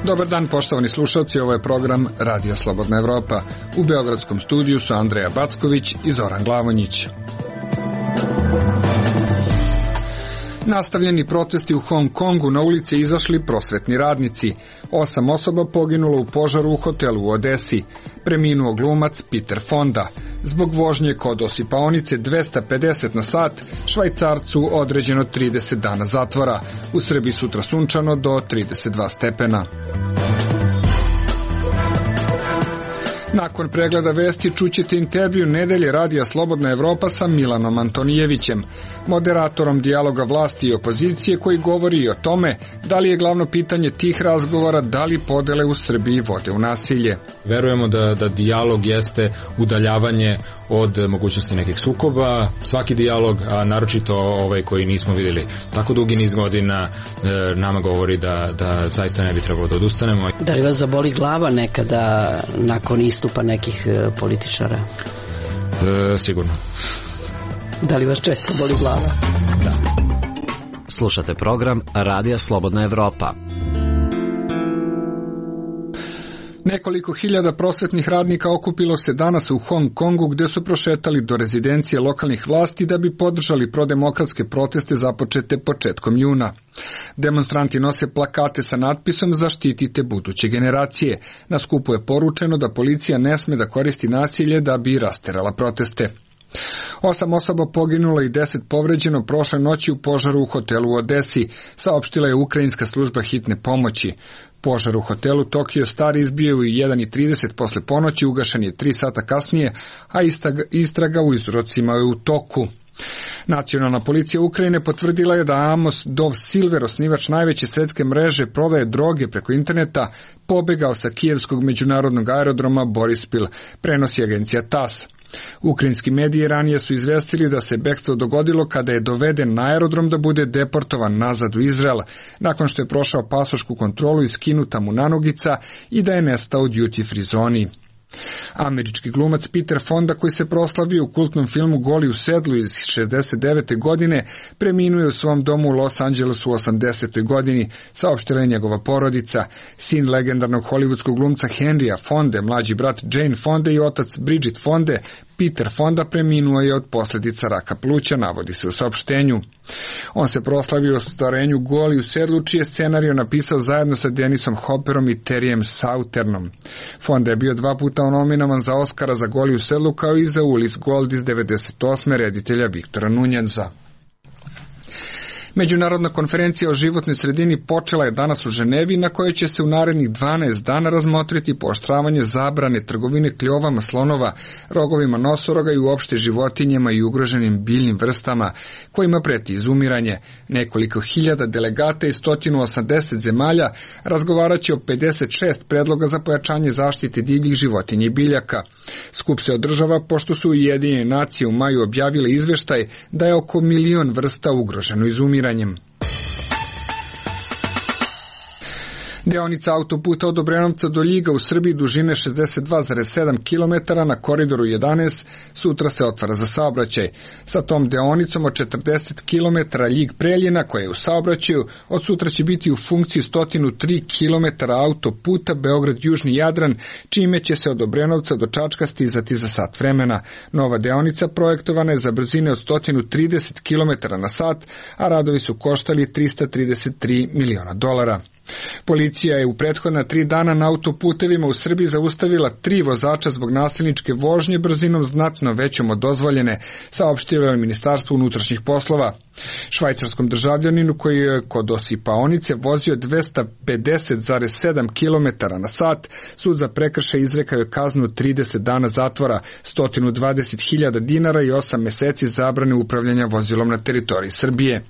Dobar dan, poštovani slušalci, ovo je program Radio Slobodna Evropa. U beogradskom studiju su Andreja Backović i Zoran Glavonjić. Nastavljeni protesti u Hong Kongu, na ulice izašli prosvetni radnici. 8 osoba poginulo u požaru u hotelu u Odesi. Preminuo glumac Peter Fonda. Zbog vožnje kod osipaonice 250 na sat, Švajcarcu određeno 30 dana zatvora. U Srbiji sutra sunčano do 32 stepena. Nakon pregleda vesti čućete intervju Nedelje Radija Slobodna Evropa sa Milanom Antonijevićem, moderatorom dijaloga vlasti i opozicije, koji govori i o tome da li je glavno pitanje tih razgovora da li podele u Srbiji vode u nasilje. Verujemo da dijalog jeste udaljavanje od mogućnosti nekih sukoba. Svaki dijalog, a naročito ovaj koji nismo vidjeli tako dugi niz godina, nama govori da zaista ne bi trebalo da odustanemo. Da li vas zaboli glava nekada nakon istupa nekih političara? Sigurno. Da li vas često boli glava? Da. Slušate program Radija Slobodna Evropa. Nekoliko hiljada prosvetnih radnika okupilo se danas u Hong Kongu, gde su prošetali do rezidencije lokalnih vlasti da bi podržali prodemokratske proteste započete početkom juna. Demonstranti nose plakate sa natpisom "Zaštitite buduće generacije". Na skupu je poručeno da policija ne sme da koristi nasilje da bi rasterala proteste. 8 osoba poginulo i 10 povređeno prošle noći u požaru u hotelu u Odesi, saopštila je ukrajinska služba hitne pomoći. Požar u hotelu Tokio Star izbio u 1:30 posle ponoći, ugašen je 3 sata kasnije, a istraga u uzrocima je u toku. Nacionalna policija Ukrajine potvrdila je da Amos Dov Silver, osnivač najveće svetske mreže prodaje droge preko interneta, pobegao sa kijevskog međunarodnog aerodroma Borispil, prenosi agencija TASS. Ukrajinski mediji ranije su izvestili da se bekstvo dogodilo kada je doveden na aerodrom da bude deportovan nazad u Izrael, nakon što je prošao pasošku kontrolu i skinuta mu nanogica i da je nestao u duty free zoni. Američki glumac Peter Fonda, koji se proslavio u kultnom filmu Goli u sedlu iz 69. godine, preminuo je u svom domu u Los Angelesu u 80. godini, saopštila je njegova porodica. Sin legendarnog hollywoodskog glumca Henrya Fonde, mlađi brat Jane Fonde i otac Bridget Fonde, Peter Fonda, preminuo je od posljedica raka pluća, navodi se u saopštenju. On se proslavio u ostvarenju Goli u sedlu, čiji je scenario napisao zajedno sa Denisom Hopperom i Terryem Sauternom. Fonda je bio 2 puta nominovan za Oscara za Goli u sedlu, kao i za Ulis Gold iz 98. reditelja Viktora Nunjeza. Međunarodna konferencija o životnoj sredini počela je danas u Ženevi, na kojoj će se u narednih 12 dana razmotriti pooštravanje zabrane trgovine kljovama slonova, rogovima nosoroga i uopšte životinjama i ugroženim biljnim vrstama, kojima preti izumiranje. Nekoliko hiljada delegata iz 180 zemalja razgovarat će o 56 predloga za pojačanje zaštite divljih životinja i biljaka. Skup se održava pošto su Ujedinjene nacije u maju objavile izveštaj da je oko 1 milion vrsta ugroženo izumiranjem. Deonica autoputa od Obrenovca do Ljiga u Srbiji dužine 62,7 km na koridoru 11 sutra se otvara za saobraćaj. Sa tom deonicom od 40 km Ljig-Preljina, koja je u saobraćaju, od sutra će biti u funkciji 103 km autoputa Beograd-Južni Jadran, čime će se od Obrenovca do Čačka stizati za sat vremena. Nova deonica projektovana je za brzine od 130 km na sat, a radovi su koštali $333 miliona. Policija je u prethodna 3 dana na autoputevima u Srbiji zaustavila 3 vozača zbog nasilničke vožnje brzinom znatno većom od dozvoljene, saopštilo je Ministarstvo unutrašnjih poslova. Švajcarskom državljaninu koji je kod osipaonice vozio 250,7 km na sat, sud za prekršaj izrekao je kaznu 30 dana zatvora, 120.000 dinara i 8 meseci zabrane upravljanja vozilom na teritoriji Srbije.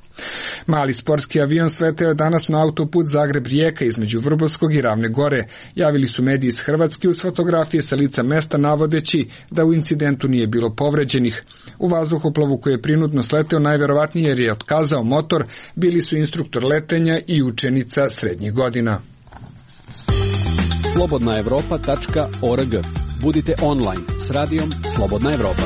Mali sportski avion sleteo je danas na autoput Zagreb-Rijeka između Vrbovskog i Ravne Gore. Javili su mediji iz Hrvatske uz fotografije sa lica mesta navodeći da u incidentu nije bilo povređenih. U vazduhoplovu koji je prinudno sleteo najverovatnije jer je otkazao motor bili su instruktor letenja i učenica srednjih godina. slobodnaevropa.org. Budite online s radijom Slobodna Evropa.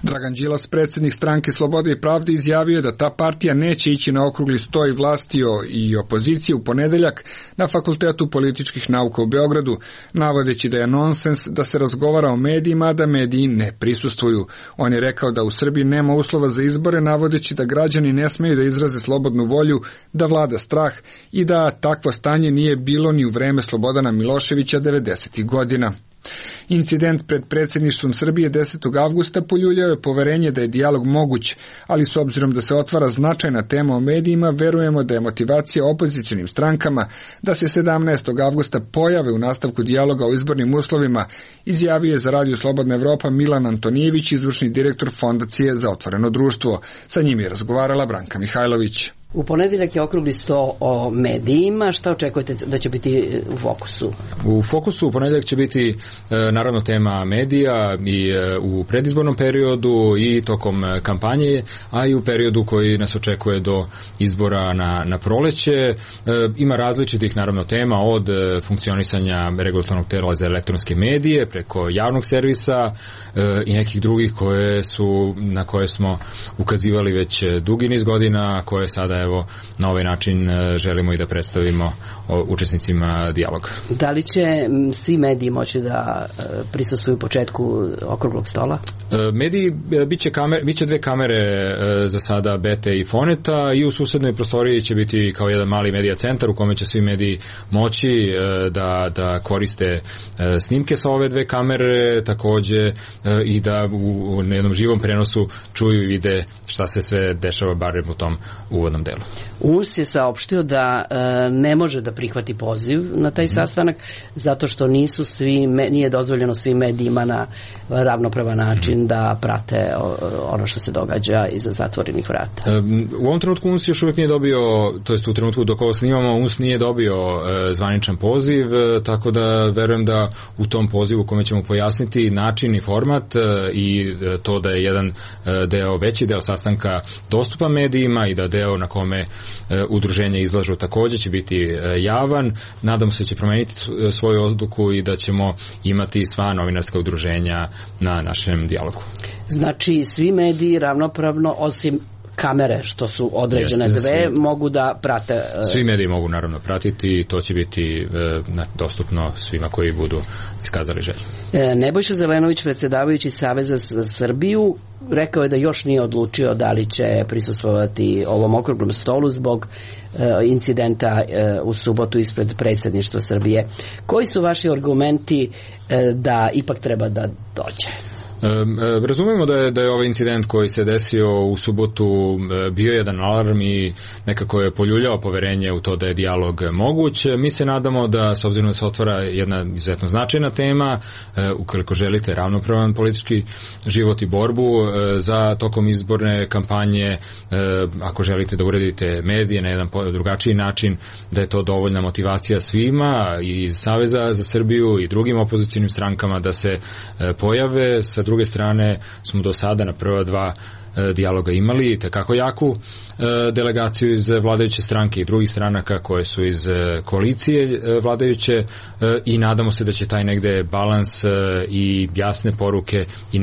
Dragan Đilas, predsjednik stranke Slobode i pravde, izjavio je da ta partija neće ići na okrugli sto i vlasti i opozicije u ponedeljak na Fakultetu političkih nauka u Beogradu, navodeći da je nonsens da se razgovara o medijima, a da mediji ne prisustvuju. On je rekao da u Srbiji nema uslova za izbore, navodeći da građani ne smeju da izraze slobodnu volju, da vlada strah i da takvo stanje nije bilo ni u vreme Slobodana Miloševića 90. godina. Incident pred predsjedništvom Srbije 10. avgusta poljuljao je poverenje da je dijalog moguć, ali s obzirom da se otvara značajna tema o medijima, verujemo da je motivacija opozicionim strankama da se 17. avgusta pojave u nastavku dijaloga o izbornim uslovima, izjavio je za Radio Slobodna Evropa Milan Antonijević, izvršni direktor Fondacije za otvoreno društvo. Sa njim je razgovarala Branka Mihajlović. U ponedeljak je okrugli sto o medijima. Šta očekujete da će biti u fokusu? U fokusu u ponedeljak će biti naravno tema medija i u predizbornom periodu i tokom kampanje, a i u periodu koji nas očekuje do izbora na proleće. Ima različitih naravno tema od funkcionisanja regulatornog tela za elektronske medije preko javnog servisa i nekih drugih na koje smo ukazivali već dugi niz godina, koje sada evo na ovaj način želimo i da predstavimo učesnicima dijaloga. Da li će svi mediji moći da prisustvuju početku okruglog stola? Mediji biće dve kamere za sada Bete i Foneta i u susednoj prostoriji će biti kao jedan mali medija centar u kome će svi mediji moći da koriste snimke sa ove dve kamere, takođe i da u jednom živom prenosu čuju i vide šta se sve dešava barem u tom uvodnom delu. UNS je saopštio da ne može da prihvati poziv na taj sastanak zato što nije dozvoljeno svim medijima na ravnopravan način da prate ono što se događa iza zatvorenih vrata. U ovom trenutku UNS još uvijek nije dobio, to jest u trenutku dok ovo snimamo, UNS nije dobio zvaničan poziv, tako da verujem da u tom pozivu kome ćemo pojasniti način i format i to da je jedan veći deo sastanka dostupan medijima i da deo na kome udruženja izlažu takođe će biti javan. Nadam se da će promeniti svoju odluku i da ćemo imati sva novinarska udruženja na našem dijalogu. Znači svi mediji ravnopravno osim kamere što su određene mogu da prate. Svi mediji mogu naravno pratiti i to će biti dostupno svima koji budu iskazali želju. Nebojša Zelenović, predsjedavajući Saveza za Srbiju, rekao je da još nije odlučio da li će prisustvovati ovom okruglom stolu zbog incidenta u subotu ispred predsjedništva Srbije. Koji su vaši argumenti da ipak treba da dođe? Razumemo da je ovaj incident koji se desio u subotu bio jedan alarm i nekako je poljuljao poverenje u to da je dijalog moguć. Mi se nadamo da, s obzirom da se otvara jedna izuzetno značajna tema, ukoliko želite ravnopravan politički život i borbu za tokom izborne kampanje, ako želite da uredite medije na jedan drugačiji način, da je to dovoljna motivacija svima i Saveza za Srbiju i drugim opozicionim strankama da se pojave. Sa druge strane smo do sada na prva dva dijaloga imali tekako jaku delegaciju iz vladajuće stranke i drugih stranaka koje su iz koalicije vladajuće i nadamo se da će taj negde balans i jasne poruke i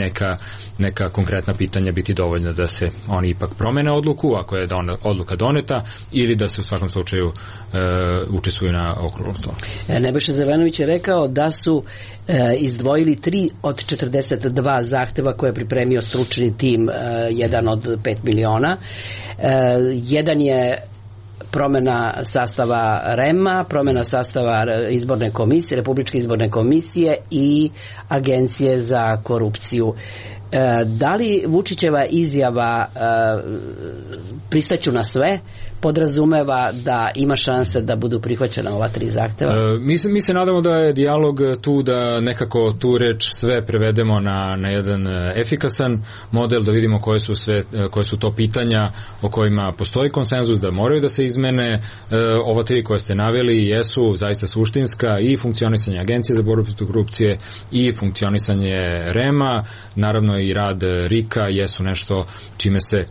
neka konkretna pitanja biti dovoljna da se oni ipak promene odluku ako je odluka doneta ili da se u svakom slučaju učestvuju na okruglom stolu. Nebojša Zelenović je rekao da su izdvojili 3 od 42 zahteva koje je pripremio stručni tim, jedan od 5 miliona. Jedan je promjena sastava REM-a, promjena sastava izborne komisije, Republičke izborne komisije i Agencije za korupciju. Da li Vučićeva izjava pristaću na sve podrazumeva da ima šanse da budu prihvaćena ova 3 zahteva? Mi se nadamo da je dijalog tu da nekako tu reč sve prevedemo na jedan efikasan model, da vidimo koje su to pitanja o kojima postoji konsenzus da moraju da se izmene. Ova 3 koje ste naveli jesu zaista suštinska i funkcionisanje Agencije za borbu protiv korupcije i funkcionisanje REM-a, naravno i rad RIK-a jesu nešto čime se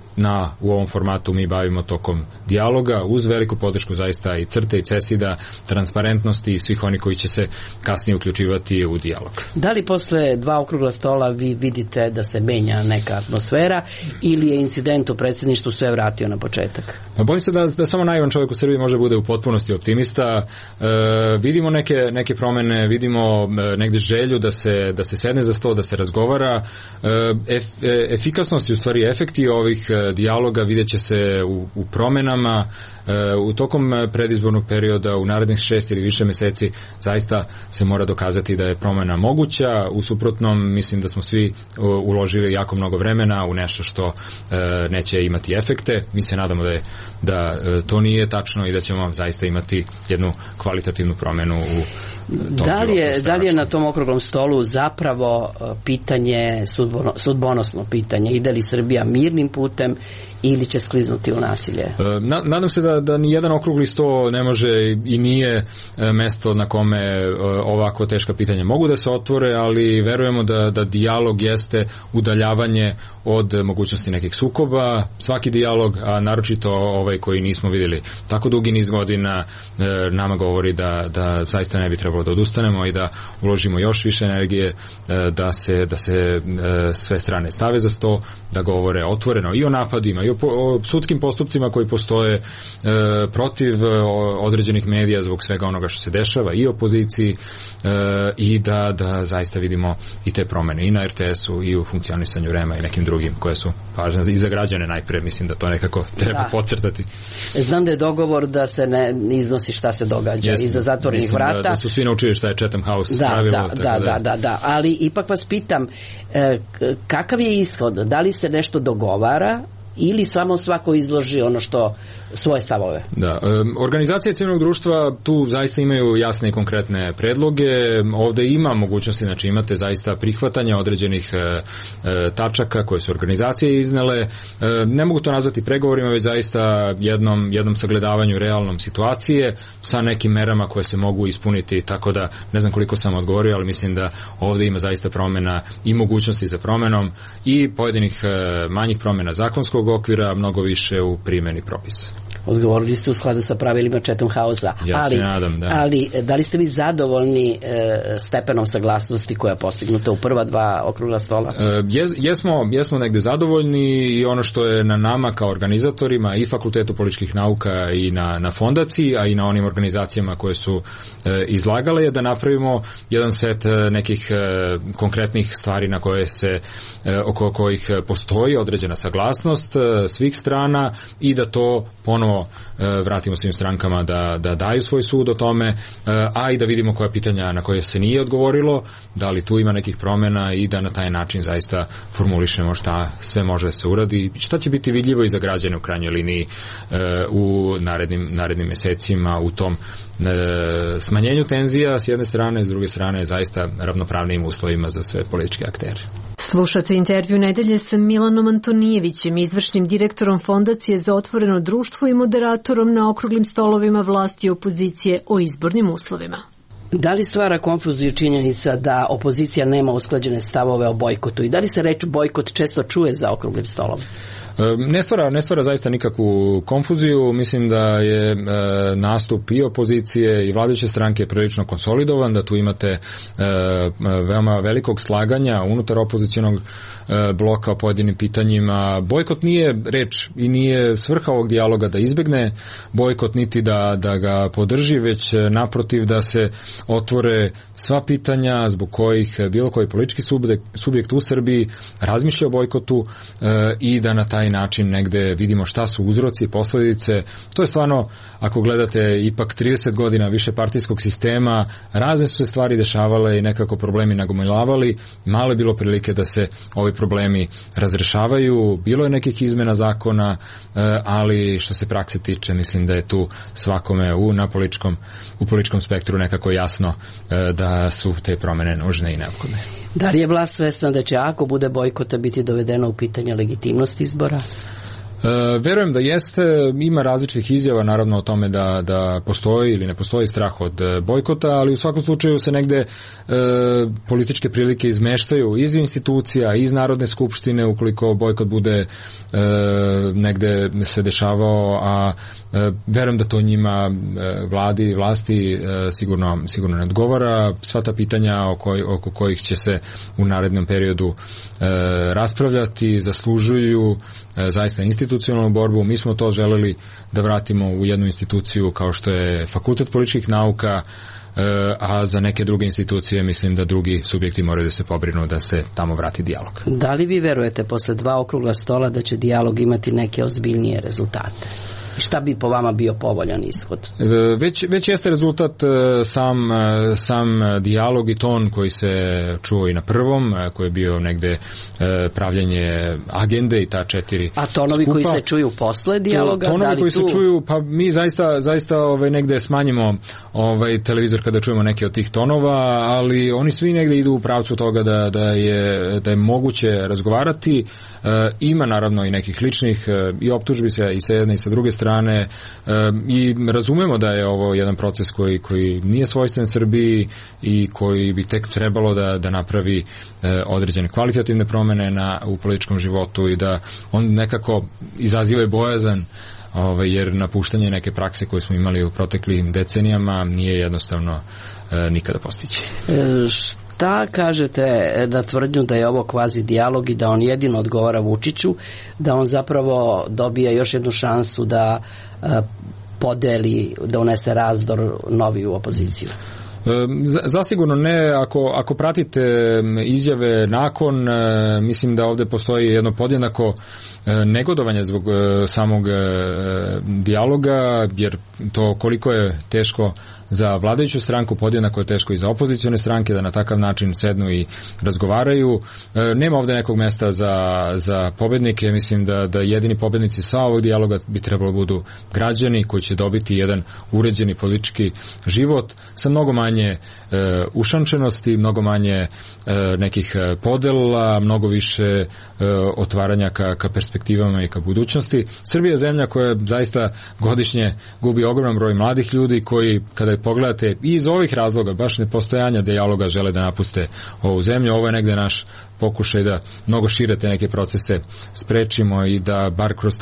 u ovom formatu mi bavimo tokom dijaloga, uz veliku podršku zaista i CRTE i CESID-a, transparentnosti i svih oni koji će se kasnije uključivati u dijalog. Da li posle 2 okrugla stola vi vidite da se menja neka atmosfera ili je incident u predsjedništvu sve vratio na početak? Bojim se da samo naivan čovjek u Srbiji može bude u potpunosti optimista. Vidimo neke promene, vidimo negde želju da se sedne za sto, da se razgovara. Efikasnost i u stvari efekti ovih dijaloga vidjet će se u promenama. U tokom predizbornog perioda u narednih 6 ili više meseci zaista se mora dokazati da je promena moguća. U suprotnom mislim da smo svi uložili jako mnogo vremena u nešto što neće imati efekte. Mi se nadamo da to nije tačno i da ćemo zaista imati jednu kvalitativnu promenu u tom. Da li je na tom okruglom stolu zapravo pitanje, sudbonosno pitanje, ide li Srbija mirnim putem ili će skliznuti u nasilje? Nadam se da ni jedan okrugli sto ne može i nije mesto na kome ovako teška pitanja mogu da se otvore, ali verujemo da dijalog jeste udaljavanje od mogućnosti nekih sukoba. Svaki dijalog, a naročito ovaj koji nismo vidjeli tako dugi niz godina, nama govori da zaista ne bi trebalo da odustanemo i da uložimo još više energije, da se sve strane stave za sto, da govore otvoreno i o napadima i o sudskim postupcima koji postoje protiv određenih medija zbog svega onoga što se dešava i opoziciji, i da zaista vidimo i te promene i na RTS-u i u funkcionisanju REM-a i nekim drugim koje su važne i za građane najpre. Mislim da to nekako treba podcrtati. Znam da je dogovor da se ne iznosi šta se događa iza zatvorenih vrata. Da su svi naučili šta je Chatham House pravilo. Da. Ali ipak vas pitam, kakav je ishod? Da li se nešto dogovara ili samo svako izloži ono što svoje stavove? Da, organizacije civilnog društva tu zaista imaju jasne i konkretne predloge. Ovde ima mogućnosti, znači imate zaista prihvatanja određenih tačaka koje su organizacije iznele. Ne mogu to nazvati pregovorima, već zaista jednom sagledavanju realnom situacije sa nekim merama koje se mogu ispuniti, tako da ne znam koliko sam odgovorio, ali mislim da ovde ima zaista promena i mogućnosti za promenom i pojedinih manjih promena zakonskog okvira, mnogo više u primjeni propisa. Odgovorili ste u skladu sa pravilima Chatham House-a. Ja se nadam, da. Ali da li ste vi zadovoljni stepenom saglasnosti koja je postignuta u prva 2 okrugla stola? Jesmo negde zadovoljni i ono što je na nama kao organizatorima i Fakultetu političkih nauka i na fondaciji, a i na onim organizacijama koje su izlagale, je da napravimo jedan set nekih konkretnih stvari na koje se oko kojih postoji određena saglasnost svih strana i da to ponovo vratimo svim strankama da daju svoj sud o tome, a i da vidimo koja pitanja na koje se nije odgovorilo, da li tu ima nekih promjena i da na taj način zaista formulišemo šta sve može da se uradi, šta će biti vidljivo i za građane u krajnjoj liniji u narednim mesecima u tom smanjenju tenzija s jedne strane, s druge strane zaista ravnopravnim uslovima za sve političke aktere. Slušate intervju nedelje sa Milanom Antonijevićem, izvršnim direktorom Fondacije za otvoreno društvo i moderatorom na okruglim stolovima vlasti i opozicije o izbornim uslovima. Da li stvara konfuziju činjenica da opozicija nema usklađene stavove o bojkotu i da li se reč bojkot često čuje za okruglim stolom? Ne stvara zaista nikakvu konfuziju. Mislim da je nastup i opozicije i vladajuće stranke prilično konsolidovan, da tu imate veoma velikog slaganja unutar opozicionog bloka o pojedinim pitanjima. Bojkot nije reč i nije svrha ovog dijaloga da izbegne bojkot niti da ga podrži, već naprotiv da se otvore sva pitanja zbog kojih bilo koji politički subjekt u Srbiji razmišlja o bojkotu i da na taj način negde vidimo šta su uzroci, posledice. To je stvarno, ako gledate ipak 30 godina više partijskog sistema, razne su se stvari dešavale i nekako problemi nagomilavali. Malo je bilo prilike da se ovi problemi razrešavaju. Bilo je nekih izmena zakona, ali što se prakse tiče, mislim da je tu svakome u političkom spektru nekako jasno da su te promene nužne i neophodne. Da li je vlast svesna da će ako bude bojkota biti dovedeno u pitanje legitimnost izbora? Verujem da jeste, ima različitih izjava naravno o tome da postoji ili ne postoji strah od bojkota, ali u svakom slučaju se negde političke prilike izmeštaju iz institucija, iz Narodne skupštine ukoliko bojkot bude negde se dešavao, a verujem da to njima vlasti sigurno ne odgovara. Sva ta pitanja oko kojih će se u narednom periodu raspravljati zaslužuju zaista institucionalnu borbu. Mi smo to želeli da vratimo u jednu instituciju kao što je Fakultet političkih nauka, a za neke druge institucije mislim da drugi subjekti moraju da se pobrinu da se tamo vrati dijalog. Da li vi verujete posle 2 okrugla stola da će dijalog imati neke ozbiljnije rezultate? Šta bi po vama bio povoljan ishod? Već jeste rezultat sam dijalog i ton koji se čuo i na prvom, koji je bio negde pravljenje agende i ta 4 A tonovi skupa. Koji se čuju posle dijaloga? Tonovi koji se čuju, pa mi zaista negde smanjimo televizor kada čujemo neke od tih tonova, ali oni svi negde idu u pravcu toga da je moguće razgovarati. Ima naravno i nekih ličnih i optužbi se i sa jedne i sa druge strane i razumemo da je ovo jedan proces koji nije svojstven Srbiji i koji bi tek trebalo da napravi određene kvalitativne promene u političkom životu i da on nekako izaziva bojazan, jer napuštanje neke prakse koje smo imali u proteklim decenijama nije jednostavno nikada postići. Šta kažete na tvrdnju da je ovo kvazi dijalog i da on jedino odgovara Vučiću, da on zapravo dobija još jednu šansu da podeli, da unese razdor novi u opoziciju? Zasigurno ne. Ako pratite izjave nakon, mislim da ovde postoji jedno podjednako negodovanje zbog samog dijaloga, jer to koliko je teško za vladajuću stranku, podjednako je teško i za opozicione stranke da na takav način sednu i razgovaraju. Nema ovde nekog mesta za pobednike. Mislim da jedini pobednici sa ovog dijaloga bi trebalo budu građani koji će dobiti jedan uređeni politički život sa mnogo manje ušančenosti, mnogo manje nekih podela, mnogo više otvaranja ka perspektivama i ka budućnosti. Srbija je zemlja koja zaista godišnje gubi ogroman broj mladih ljudi koji, kada je pogledate i iz ovih razloga, baš nepostojanja dijaloga, žele da napuste ovu zemlju. Ovo je negde naš pokušaj da mnogo šire te neke procese sprečimo i da bar kroz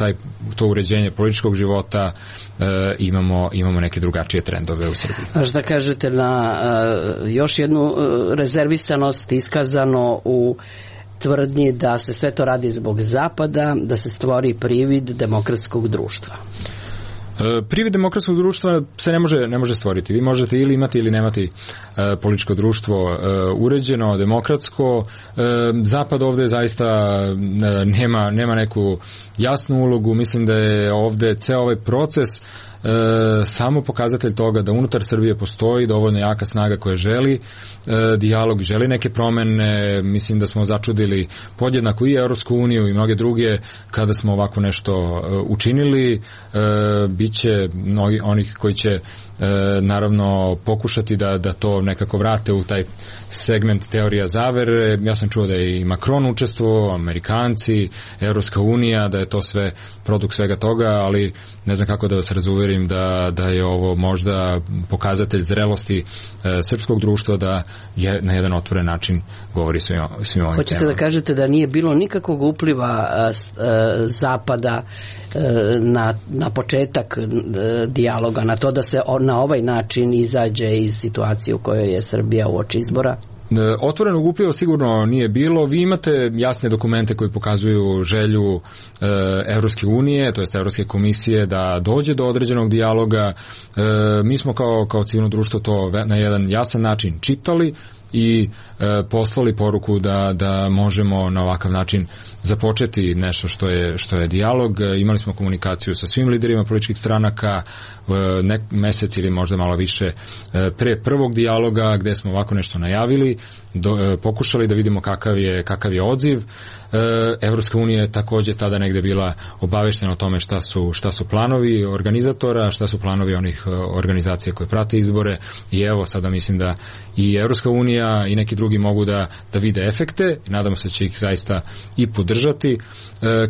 to uređenje političkog života imamo neke drugačije trendove u Srbiji. A šta kažete na još jednu rezervisanost iskazano u tvrdnji da se sve to radi zbog Zapada, da se stvori privid demokratskog društva? Privid demokratskog društva se ne može stvoriti. Vi možete ili imati ili nemati političko društvo uređeno, demokratsko. Zapad ovde zaista nema neku jasnu ulogu. Mislim da je ovde ceo ovaj proces samo pokazatelj toga da unutar Srbije postoji dovoljno jaka snaga koja želi dijalog, želi neke promene. Mislim da smo začudili podjednako i Evropsku uniju i mnoge druge kada smo ovako nešto učinili. Biće onih koji će naravno pokušati da to nekako vrate u taj segment teorija zavere. Ja sam čuo da je i Macron učestvovao, Amerikanci, Evropska unija, da je to sve produkt svega toga, ali ne znam kako da vas razuverim da je ovo možda pokazatelj zrelosti srpskog društva da je na jedan otvoren način govori svim ovim temama. Hoćete da kažete da nije bilo nikakvog upliva Zapada na početak dijaloga, na to da se na ovaj način izađe iz situacije u kojoj je Srbija uoči izbora? Otvorenog upliva sigurno nije bilo. Vi imate jasne dokumente koji pokazuju želju Evropske unije, to jest Evropske komisije, da dođe do određenog dijaloga. Mi smo kao civilno društvo to na jedan jasan način čitali i poslali poruku da možemo na ovakav način započeti nešto što je dijalog. Imali smo komunikaciju sa svim liderima političkih stranaka mesec ili možda malo više pre prvog dijaloga, gde smo ovako nešto najavili, pokušali da vidimo kakav je odziv. Evropska unija je takođe tada negde bila obaveštena o tome šta su planovi organizatora, šta su planovi onih organizacija koje prate izbore, i evo sada mislim da i Evropska unija i neki drugi mogu da vide efekte. Nadamo se da će ih zaista i podržati podržati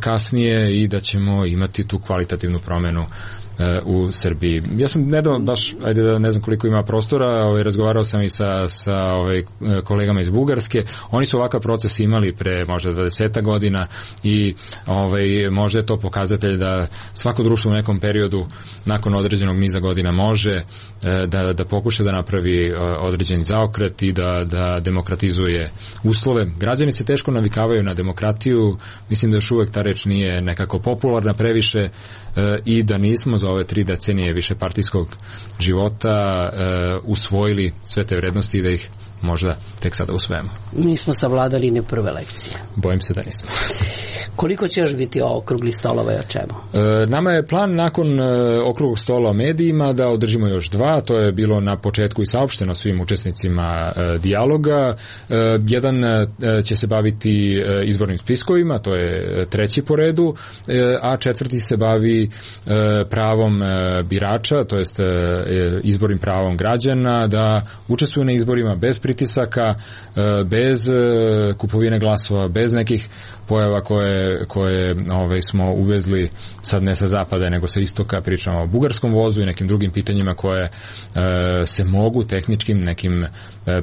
kasnije i da ćemo imati tu kvalitativnu promenu u Srbiji. Ja sam nedavno baš, ajde da ne znam koliko ima prostora, razgovarao sam i sa kolegama iz Bugarske. Oni su ovakav proces imali pre možda 20 godina i možda je to pokazatelj da svako društvo u nekom periodu nakon određenog niza godina može da pokuša da napravi određeni zaokret i da demokratizuje uslove. Građani se teško navikavaju na demokratiju, mislim da još uvek ta reč nije nekako popularna previše i da nismo za ove 3 decenije višepartijskog života usvojili sve te vrednosti i da ih možda tek sada usvojimo. Nismo savladali ni prve lekcije. Bojim se da nismo. Koliko će još biti okruglih stolova i o čemu? Nama je plan nakon okruglog stola o medijima da održimo još 2, to je bilo na početku i saopšteno svim učesnicima dijaloga. Jedan će se baviti izbornim spiskovima, to je 3. po redu, a 4. se bavi pravom birača, to jest izbornim pravom građana da učestvuju na izborima bez pritisaka, bez kupovine glasova, bez nekih pojava koje smo uvezli sad ne sa zapada nego sa istoka, pričamo o bugarskom vozu i nekim drugim pitanjima koje se mogu tehničkim nekim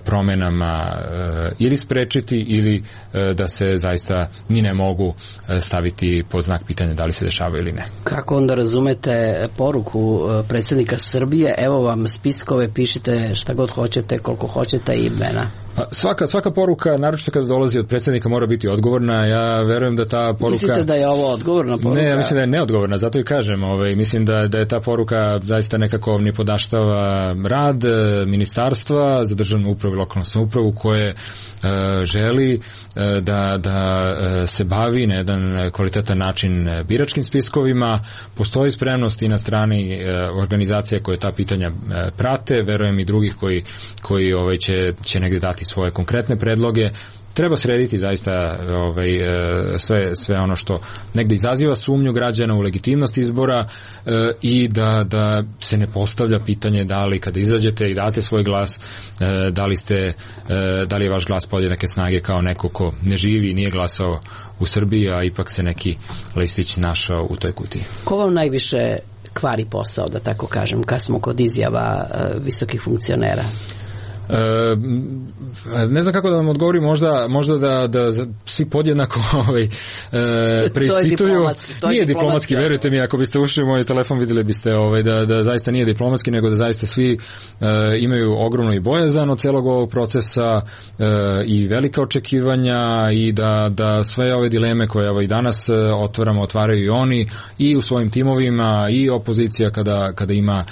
promenama ili sprečiti ili da se zaista ni ne mogu staviti pod znak pitanja da li se dešava ili ne. Kako onda razumete poruku predsjednika Srbije, evo vam spiskove, pišite šta god hoćete, koliko hoćete i imena? Svaka poruka, naročito kada dolazi od predsjednika, mora biti odgovorna. Ja verujem da ta poruka... Mislite da je ovo odgovorna poruka? Ne, ja mislim da je neodgovorna, zato i kažem. Mislim da je ta poruka zaista nekako nipodaštava rad ministarstva za državnu upravu i lokalnu samoupravu koje želi da se bavi na jedan kvalitetan način biračkim spiskovima. Postoji spremnost i na strani organizacije koje ta pitanja prate, verujem i drugih koji će negdje dati svoje konkretne predloge. Treba srediti zaista sve ono što negde izaziva sumnju građana u legitimnost izbora i da se ne postavlja pitanje da li kada izađete i date svoj glas da li je vaš glas podjednake snage kao neko ko ne živi i nije glasao u Srbiji, a ipak se neki listić našao u toj kutiji. Ko vam najviše kvari posao, da tako kažem, kad smo kod izjava visokih funkcionera? Ne znam kako da vam odgovorim, možda da svi podjednako preispituju. Nije diplomatski, verujte mi, ako biste ušli u moj telefon vidjeli biste da zaista nije diplomatski, nego da zaista svi imaju ogromno i bojazan od celog ovog procesa i velika očekivanja i da sve ove dileme koje i danas otvaraju i oni i u svojim timovima i opozicija kada ima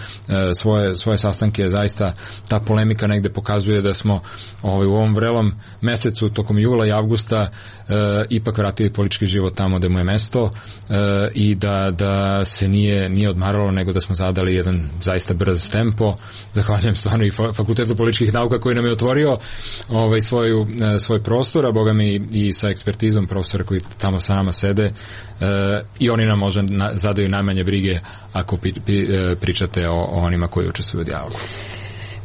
svoje sastanke, zaista ta polemika negde pokazuje da smo u ovom vrelom mesecu tokom jula i avgusta ipak vratili politički život tamo gde mu je mesto i da se nije odmaralo, nego da smo zadali jedan zaista brz tempo. Zahvaljujem stvarno i Fakultetu političkih nauka koji nam je otvorio svoj prostor, a boga mi i sa ekspertizom profesora koji tamo sa nama sede i oni nam možda zadaju najmanje brige ako pričate o onima koji učestvuju u dijalogu.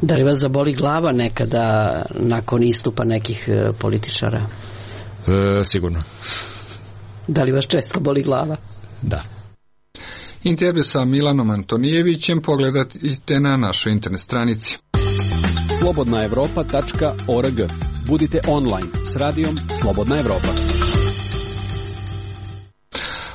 Da li vas zaboli glava nekada nakon istupa nekih političara? Sigurno. Da li vas često boli glava? Da. Intervju sa Milanom Antonijevićem pogledajte na našoj internet stranici. slobodnaevropa.org. Budite online s radijom Slobodna Evropa.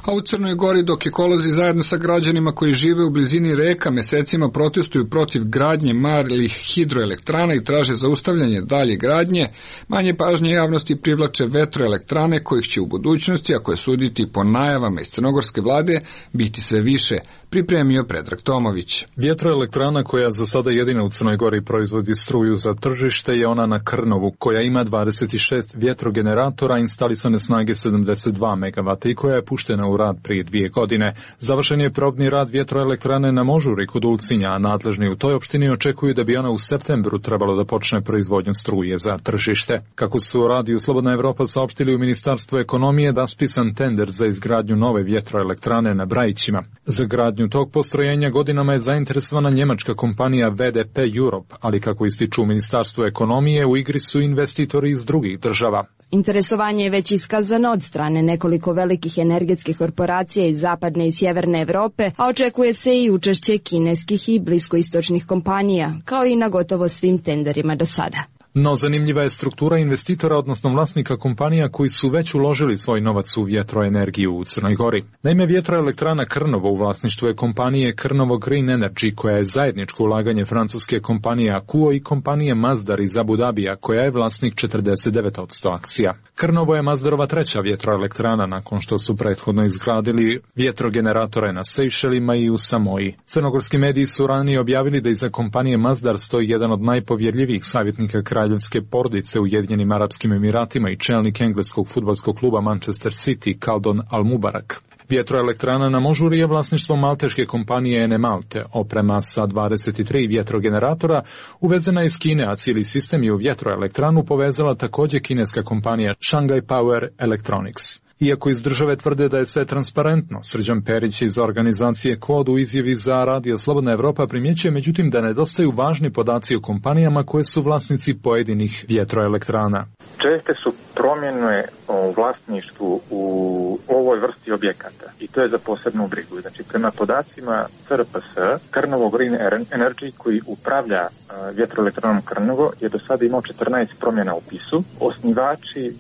A u Crnoj Gori, dok ekolozi zajedno sa građanima koji žive u blizini reka mesecima protestuju protiv gradnje malih hidroelektrana i traže zaustavljanje dalje gradnje, manje pažnje javnosti privlače vetroelektrane kojih će u budućnosti, ako je suditi po najavama iz crnogorske vlade, biti sve više, pripremio Predrag Tomović. Vjetroelektrana koja za sada jedina u Crnoj Gori proizvodi struju za tržište je ona na Krnovu, koja ima 26 vjetrogeneratora instalisane snage 72 MW i koja je puštena u u rad prije 2 godine. Završen je probni rad vjetroelektrane na Možuri kod Ulcinja, a nadležni u toj opštini očekuju da bi ona u septembru trebalo da počne proizvodnju struje za tržište. Kako su Radiju Slobodna Evropa saopštili u Ministarstvu ekonomije, raspisan tender za izgradnju nove vjetroelektrane na Brajićima. Za gradnju tog postrojenja godinama je zainteresovana njemačka kompanija VDP Europe, ali kako ističu u Ministarstvu ekonomije, u igri su investitori iz drugih država. Interesovanje je već iskazano od strane nekoliko velikih energetskih korporacija iz zapadne i sjeverne Evrope, a očekuje se i učešće kineskih i bliskoistočnih kompanija, kao i na gotovo svim tenderima do sada. No zanimljiva je struktura investitora, odnosno vlasnika kompanija koji su već uložili svoj novac u vjetroenergiju u Crnoj Gori. Naime, vjetroelektrana Krnovo u vlasništvu je kompanije Krnovo Green Energy, koja je zajedničko ulaganje francuske kompanije Akuo i kompanije Masdar iz Abu Dabija, koja je vlasnik 49% akcija. Krnovo je Masdarova treća vjetroelektrana nakon što su prethodno izgradili vjetrogeneratore na Sejšelima i u Samoji. Crnogorski mediji su ranije objavili da iza kompanije Masdar stoji jedan od najpovjerljivijih savjetnika kraljevske porodice u Ujedinjenim Arapskim Emiratima i čelnik engleskog fudbalskog kluba Manchester City Kaldon Al-Mubarak. Vjetroelektrana na Možuri je vlasništvo malteške kompanije Ene Malte. Oprema sa 23 vjetrogeneratora uvezena iz Kine, a cijeli sistem je u vjetroelektranu povezala također kineska kompanija Shanghai Power Electronics. Iako iz države tvrde da je sve transparentno, Srđan Perić iz organizacije KOD u izjavi za Radio Slobodna Evropa primjećuje međutim da nedostaju važni podaci o kompanijama koje su vlasnici pojedinih vjetroelektrana. Česte su promjene o vlasništvu u ovoj vrsti objekata i to je za posebnu brigu. Znači, prema podacima CRPS, Krnovo Green Energy, koji upravlja vjetroelektranom Krnovo, je do sada imao 14 promjena u upisu. Osnivači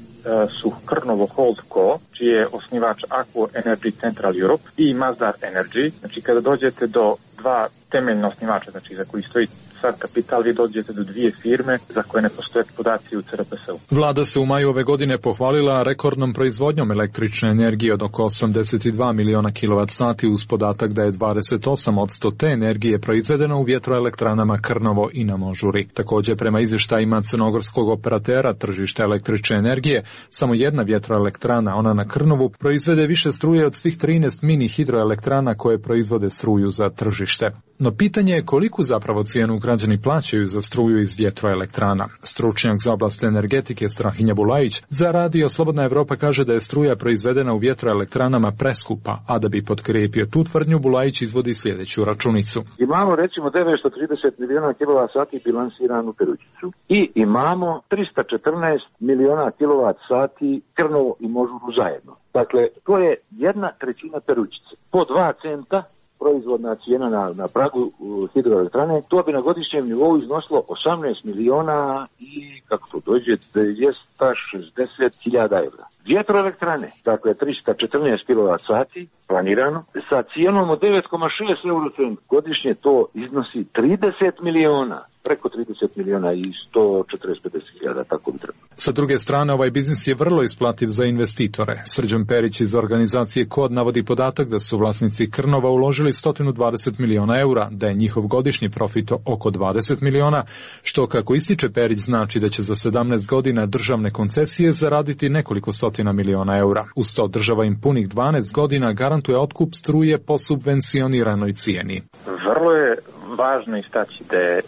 su Krnovo Holdco, čiji je osnivač Aquo Energy Central Europe, i Masdar Energy. Znači, kada dođete do dva temeljna osnivača, znači za koji stoji sad kapital, vi dođete do dvije firme za koje ne postoje podaci u CRPS-u. Vlada se u maju ove godine pohvalila rekordnom proizvodnjom električne energije od oko 82 miliona kWh uz podatak da je 28% te energije proizvedeno u vjetroelektranama Krnovo i na Možuri. Također, prema izvještajima crnogorskog operatera tržišta električne energije, samo jedna vjetroelektrana, ona na Krnovu, proizvede više struje od svih 13 mini hidroelektrana koje proizvode struju za tržište. No pitanje je koliku zapravo cijenu građani plaćaju za struju iz vjetroelektrana. Stručnjak za oblast energetike Strahinja Bulajić za Radio Slobodna Evropa kaže da je struja proizvedena u vjetroelektranama preskupa, a da bi potkrijepio tu tvrdnju, Bulajić izvodi sljedeću računicu. Imamo recimo 930 miliona kWh bilansiranu Perućicu i imamo 314 miliona kWh Krnovo i Možuru zajedno. Dakle, to je 1/3 Perućice. Po 2 centa proizvodna cijena na pragu hidroelektrane, to bi na godišnjem nivou iznosilo 18 miliona i, kako to dođe, 260.000 evra. Vjetroelektrane, dakle 314 kWh planirano, sa cijenom od 9,6 eurocent godišnje, to iznosi 30 miliona, preko 30 miliona i 140.000, tako bi trebalo. Sa druge strane, ovaj biznis je vrlo isplativ za investitore. Srđan Perić iz organizacije KOD navodi podatak da su vlasnici Krnova uložili 120 miliona eura, da je njihov godišnji profit oko 20 miliona, što, kako ističe Perić, znači da će za 17 godina državne koncesije zaraditi nekoliko stotina miliona eura. Uz to država im punih 12 godina garantuje otkup struje po subvencioniranoj cijeni. Vrlo je važno istaći da je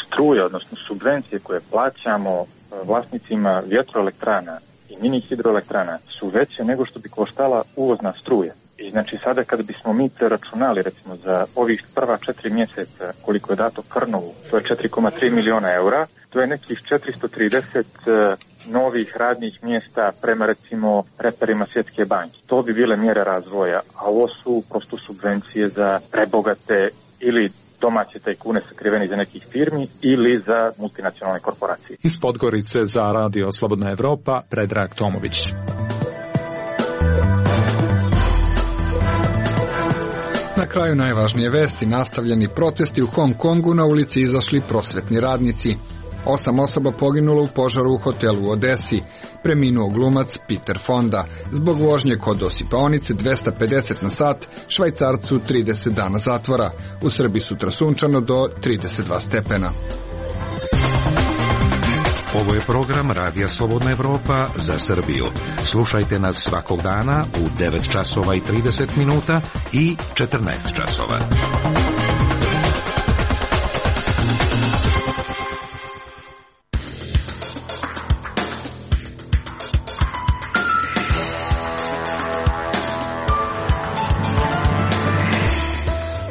struje, odnosno subvencije koje plaćamo vlasnicima vjetroelektrana i mini hidroelektrana su veće nego što bi koštala uvozna struja. I znači sada kada bismo mi računali recimo za ovih prva 4 mjeseca koliko je dato Krnovu, to je 4,3 miliona eura, to je nekih 430 novih radnih mjesta prema recimo reperima Svjetske banke. To bi bile mjere razvoja, a ovo su prosto subvencije za prebogate ili domaće tajkune sakriveni za nekih firmi ili za multinacionalne korporacije. Iz Podgorice za Radio Slobodna Evropa, Predrag Tomović. Na kraju najvažnije vesti, nastavljeni protesti u Hong Kongu, na ulici izašli prosvetni radnici. 8 osoba poginulo u požaru u hotelu u Odesi. Preminuo glumac Peter Fonda. Zbog vožnje kod osipaonice 250 na sat, Švajcarcu 30 dana zatvora. U Srbiji sutra sunčano do 32 stepena. Ovo je program Radija Slobodna Evropa za Srbiju. Slušajte nas svakog dana u 9 časova i 30 minuta i 14 časova.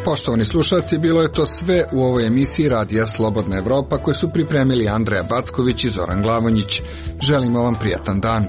Poštovani slušalci, bilo je to sve u ovoj emisiji Radija Slobodna Evropa koju su pripremili Andreja Backović i Zoran Glavonjić. Želimo vam prijatan dan.